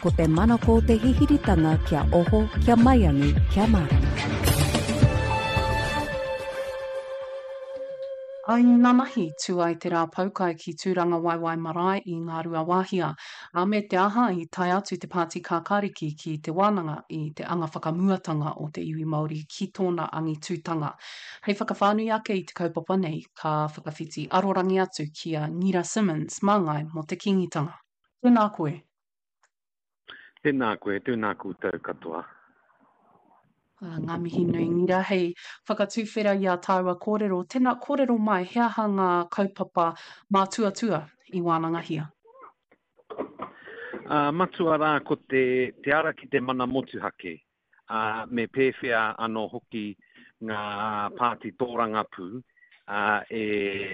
Ko te manako o te hihiritanga kia oho, kia maiangi, kia mārama. I nanahi, tū ai te rā poukai ki Tūrangawaewae Marae i Ngāruawāhia, ā, me te aha i tae atu te Pāti Kākāriki ki te wānanga i te anga whakamuatanga o te iwi Māori ki tōna angitūtanga. Hei whakawhānui ake i te kaupapa nei, ka whakawhiti arorangi atu ki a Ngira Simmonds, māngai mō te Kīngitanga. Tēnā koe. Tēnā koe, tēnā koutou katoa. Ah, ngā mihi nui ngira hei whakatuwhera i a tāua kōrero. Tēnā kōrero mai, he aha ngā kaupapa mātuatua i wānangahia? Uh, matua rā ko te, te ara ki te mana motuhake, ā, me pēwhea anō hoki ngā pāti tōrangapū ā, e,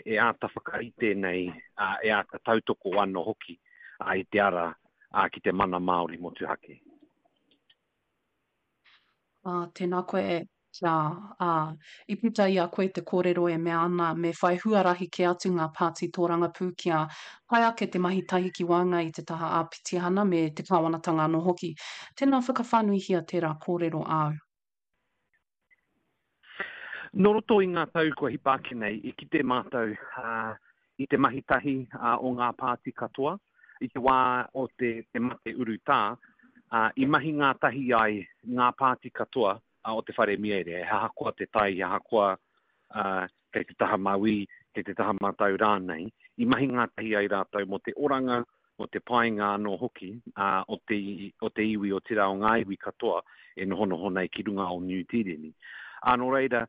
e āta whakarite nei, ā, e āta tautoko anō hoki ā, i te ara ā, ki te mana Māori motuhake. Ā, tēnā koe Kia, ā, i puta i a koe te kōrero e mea ana me whai huarahi kē atu ngā pāti tōrangapū kia pai ake te mahi tahi ki waenga i te taha āpitihana me te kāwanatanga anō hoki. Tēnā whakawhānuihia tērā kōrero āu. Nō roto i ngā tau kua hipa ake nei, i kite mātou i te mahi tahi o ngā pāti katoa i te wā o te mate urutā, i mahi ngātahi ai ngā pāti katoa o te whare mieire, he ahakoa te tai, he ahakoa kei te taha mauī, kei te taha matau rānei, i mahi ngātahi ai rātou mō te oranga, mō te painga anō hoki o te, o te iwi, otirā o ngā iwi katoa e nohonoho nei ki runga o Niu Tīreni. Ā, nō reira,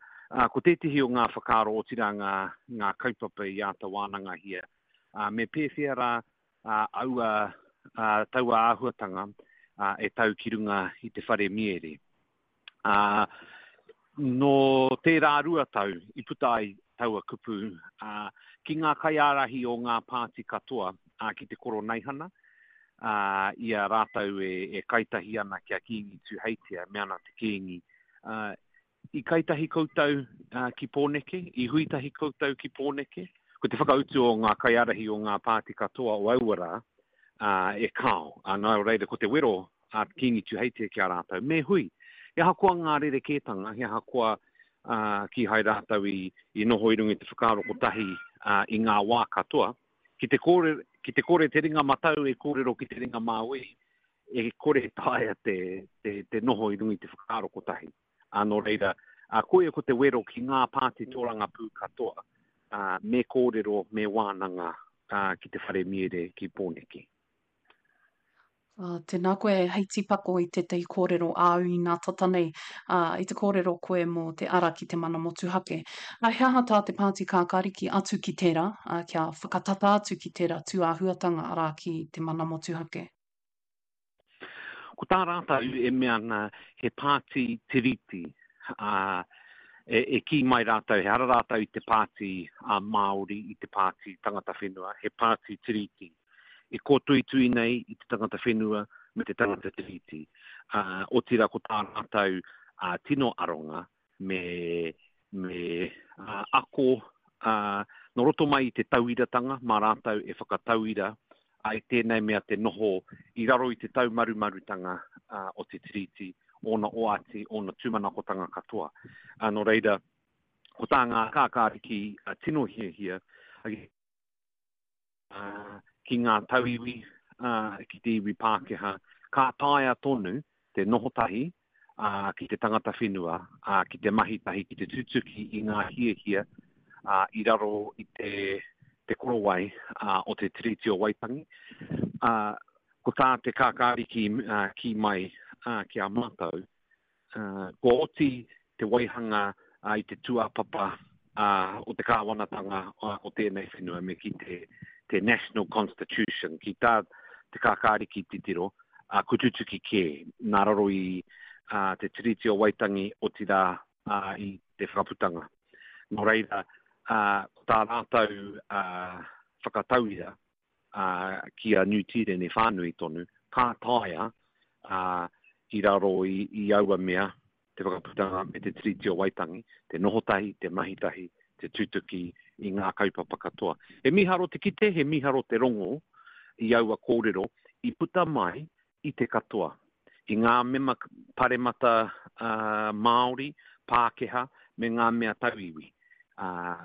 ko tētehi o ngā whakaaro, otirā ngā, ngā kaupapa i āta wānangahia, me pēwhea rā aua, taua āhuatanga e tau ki runga i te whare miere. Ā, nō tērā 2 tau i puta ai taua kupu, ā, ki ngā kaiārahi o ngā pāti katoa, ā, ki te Koroneihana, ā, i a rātou e, e kaitahi ana ki a Kīngi Tūheitia, me ana te Kīngi, ā, I kaitahi koutou ki Pōneke? I hui tahi koutou ki Pōneke? Ko te whakautu o ngā kaiārahi o ngā pāti katoa o aua rā, e kāo. Nā reira, ko te wero a Kīngi Tūheitia ki a rātou, me hui. He ahakoa ngā rerekētanga, he ahakoa kīhai rātou i noho i runga i te whakaaro kotahi i ngā wā katoa, ki te kore, ki te kore te ringa matau e kōrero ki te ringa māui, e kore e taea te, te, te noho i runga i te whakaaro kotahi. Ā, nō reira, ā, koia ko te wero ki ngā pāti tōrangapū katoa, ā, me kōrero, me wānanga, ā, ki te whare miere ki Pōneke. Ā, tēnā koe hei tīpako i tētahi kōrero āu inā tata nei, ā, i te kōrero koe mō te ara ki te mana motuhake. Ā, he aha tā te Pāti Kākāriki atu ki tērā, ā, kia whakatata atu ki tērā tūāhuatanga, arā, ki te mana motuhake? Ko tā rātou e mea ana he pāti tiriti, ā, e, e kī mai rātou, ehara rātou i te pāti a Māori, i te pāti tangata whenua, he pāti tiriti. E kōtuitui nei i te tangata whenua me te tangata tiriti. Ā, otirā ko tā rātou ā, tino aronga me, me uh, ako uh, nō roto mai i te tauiratanga, mā rātou e whakatauira ai tēnei mea te noho i raro i te taumarumarutanga uh, o te Tiriti, ōna oati, ōna tūmanakotanga katoa. Uh, nō reira, ko tā ngā kākāriki uh, tino hiahia, ki ngā tauiwi, ki te iwi Pākehā, ka taea tonu te noho tahi ki te tangata whenua, ki te mahi tahi, ki te tutuki i ngā hiahia i raro i te, te korowai o te Tiriti o Waitangi. Ko tā te kākāriki kī mai ki a mātou, Kua oti te waihanga i te tūāpapa o te kāwanatanga o tēnei whenua me kī te National Constitution, ki tā Te Kākāriki titiro, kua tutuki kē nā raro i te Tiriti o Waitangi, otirā i te Whakaputanga. Nō reira, ko tā rātou whakatauira, ā, ki a Niu Tīreni whānui tonu, ka taea, ā, i raro i, i aua mea, te whakaputanga me te Tiriti o Waitangi, te noho tahi, te mahi tahi, te tutuki i ngā kaupapa katoa. He mīharo te kite, he mīharo te rongo i aua kōrero i puta mai i te katoa, i ngā mema paremata Māori, Pākehā me ngā mea tauiwi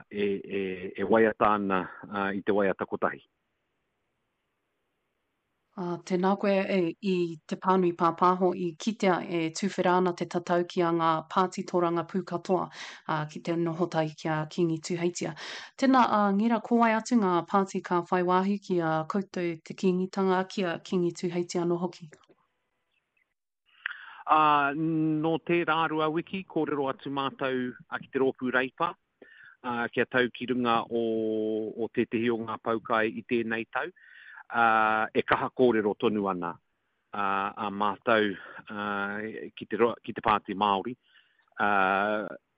e waiata ana i te waiata kotahi. Ā, tēnā koe e, i te pānui pāpāho i kitea e tuwhera ana te tatau ki a ngā pāti tōrangapū katoa, ā, ki te noho tahi ki a Kīngi Tūheitia. Tēnā, ā, Ngira, ko wai atu ngā pāti ka whai wāhi ki a koutou te Kīngitanga, ki a Kīngi Tūheitia anō hoki? Ā, nō tērā rua wiki, kōrero atu mātou ki te rōpū Reipa, ā, kia tau ki runga o, o tētehi o ngā poukai i tēnei tau, ā, e kaha kōrero tonu ana ā, a mātou ā, ki te, ki te Pāti Māori, ā,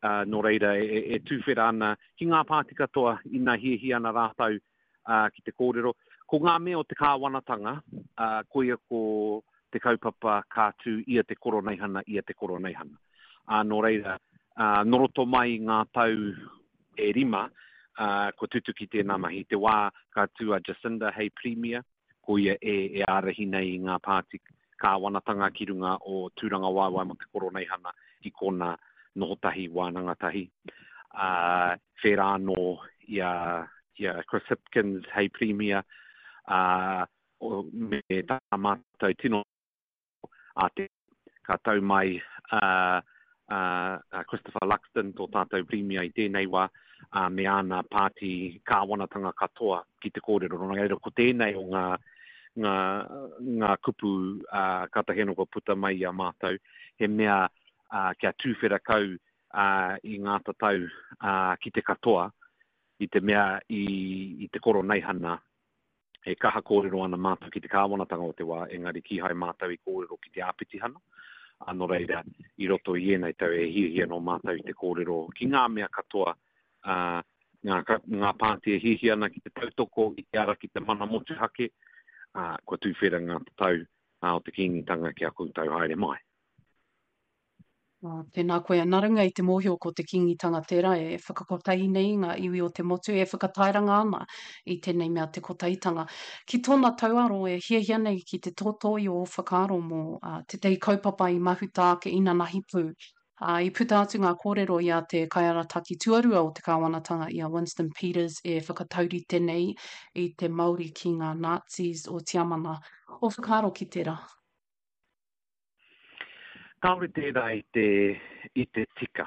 ā, nō reira e, e tūwhera ana ki ngā pāti katoa ina hiahia ana rātou ā, ki te kōrero. Ko ngā mea o te kāwanatanga, ā, koia ko te kaupapa ka tū ia te koroneihana, ia te koroneihana. Ā, nō reira, ā, nō roto mai i ngā tau e rima, ā, kua tutuki tēnā mahi. I te wā ka tū a Jacinda hei Pirimia, ko ia e, e ārahi nei i ngā pāti kāwanatanga ki runga o Tūrangawaewae mō te Koroneihana i kona noho tahi, wānanga tahi. Ā, whērā anō i a, i a Chris Hipkins hei Pirimia, ā, me tā mātou tino a te ka tau mai a, a, a Christopher Luxon, tō tātou Pirimia i tēnei wā, a, me āna pāti kāwanatanga katoa ki te kōrero. Nō reira, ko tēnei o ngā, ngā, ngā kupu a, kātahi anō kua puta mai i a mātou, he mea a, kia tūwhera kau a, i ngā tatau a, ki te katoa, i te mea i, i te koroneihana E kaha kōrero ana mātou ki te kāwanatanga o te wā, engari kīhai mātou i kōrero ki te āpitihana, ā, nō reira, i roto i ēnei tau e hiahia nō mātou i te kōrero ki ngā mea katoa, ā, ngā, ngā pāti e hiahia ana ki te tautoko i te ara ki te mana motuhake, ā, kua tūwhera ngā tatau o te Kīngitanga ki a koutou haere mai. Oh, tēnā koe. Nā runga i te mōhio ko te Kīngitanga tērā e whakakotahi nei i ngā iwi o te motu, e whakatairanga ana i tēnei mea te kotahitanga. Ki tōna tauaro e hiahia nei ki te tōtō i ō whakaaro mō uh, tētahi kaupapa i mahuta ake inanahi pū. Uh, i puta atu ngā kōrero i a te kaiarataki tuarua o te kāwanatanga i a Winston Peters e whakataurite nei i te Māori ki ngā Nazis o Tiamana. Ō whakaaro ki tērā? Kāore tērā i te, i te tika.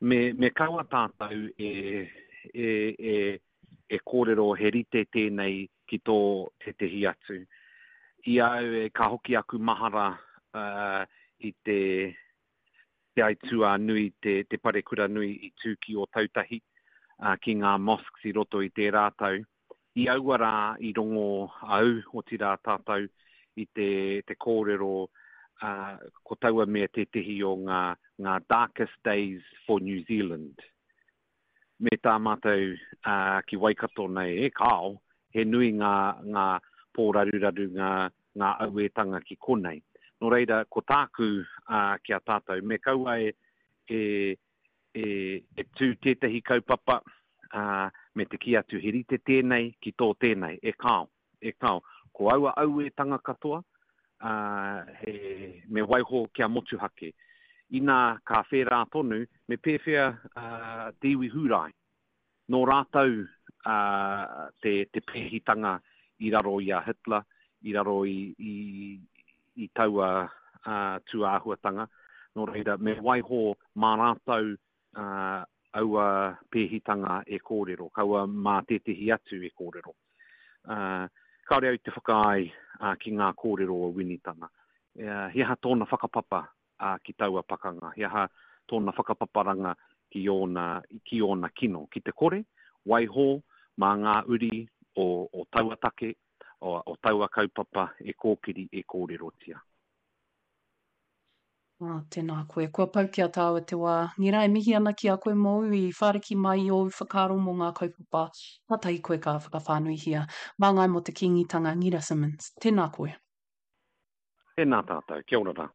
Me, me kaua tātou e, e, e, e kōrero he rite tēnei ki tō tētehi atu. I a au e ka hoki aku mahara uh, i te, te aituā nui, te, te parekura nui i tū ki Ōtautahi, uh, ki ngā mosques i roto i tērā tau. I aua rā i rongo au, otirā tātou, i te, te kōrero, ā, ko taua mea tētehi o ngā, ngā darkest days for New Zealand. Me tā mātou, ā, ki Waikato nei, e kāo, he nui ngā, ngā pōraruraru, ngā, ngā auētanga ki konei. Nō reira, ko tāku, ā, ki a tātou, me kaua e, e, e, e tū tētahi kaupapa, ā, me te kī atu he rite tēnei ki tō tēnei, e kāo, e kāo. Ko aua auētanga katoa, ā, he, me waiho kia motuhake. Inā ka whērā tonu, me pēwhea, ā, te iwi Hūrai? Nō rātou, ā, te, te pēhitanga i raro i a Hitler, i raro i, i, i taua, ā, tūāhuatanga. Nō reira, me waiho mā rātou, ā, aua pēhitanga e kōrero, kaua mā tētehi atu e kōrero. Ā, kāore au i te whakaae, ā, ki ngā kōrero o Winitana. He aha tōna whakapapa ā, ki taua pakanga? He aha tōna whakapaparanga ki ōna, ki ōna kino? Ki te kore, waiho mā ngā uri o, o taua take, o, o taua kaupapa e kōkiri, e kōrerotia. Ā, tēnā koe. Kua pau ki a tāua te wā. Ngira, e mihi ana ki a koe mōu i whāriki mai i ōu whakaaro mō ngā kaupapa kātahi koe ka whakawhānuihia. Māngai mō te Kīngitanga, Ngira Simmonds. Tēnā koe. Tēnā tātou. Kia ora rā.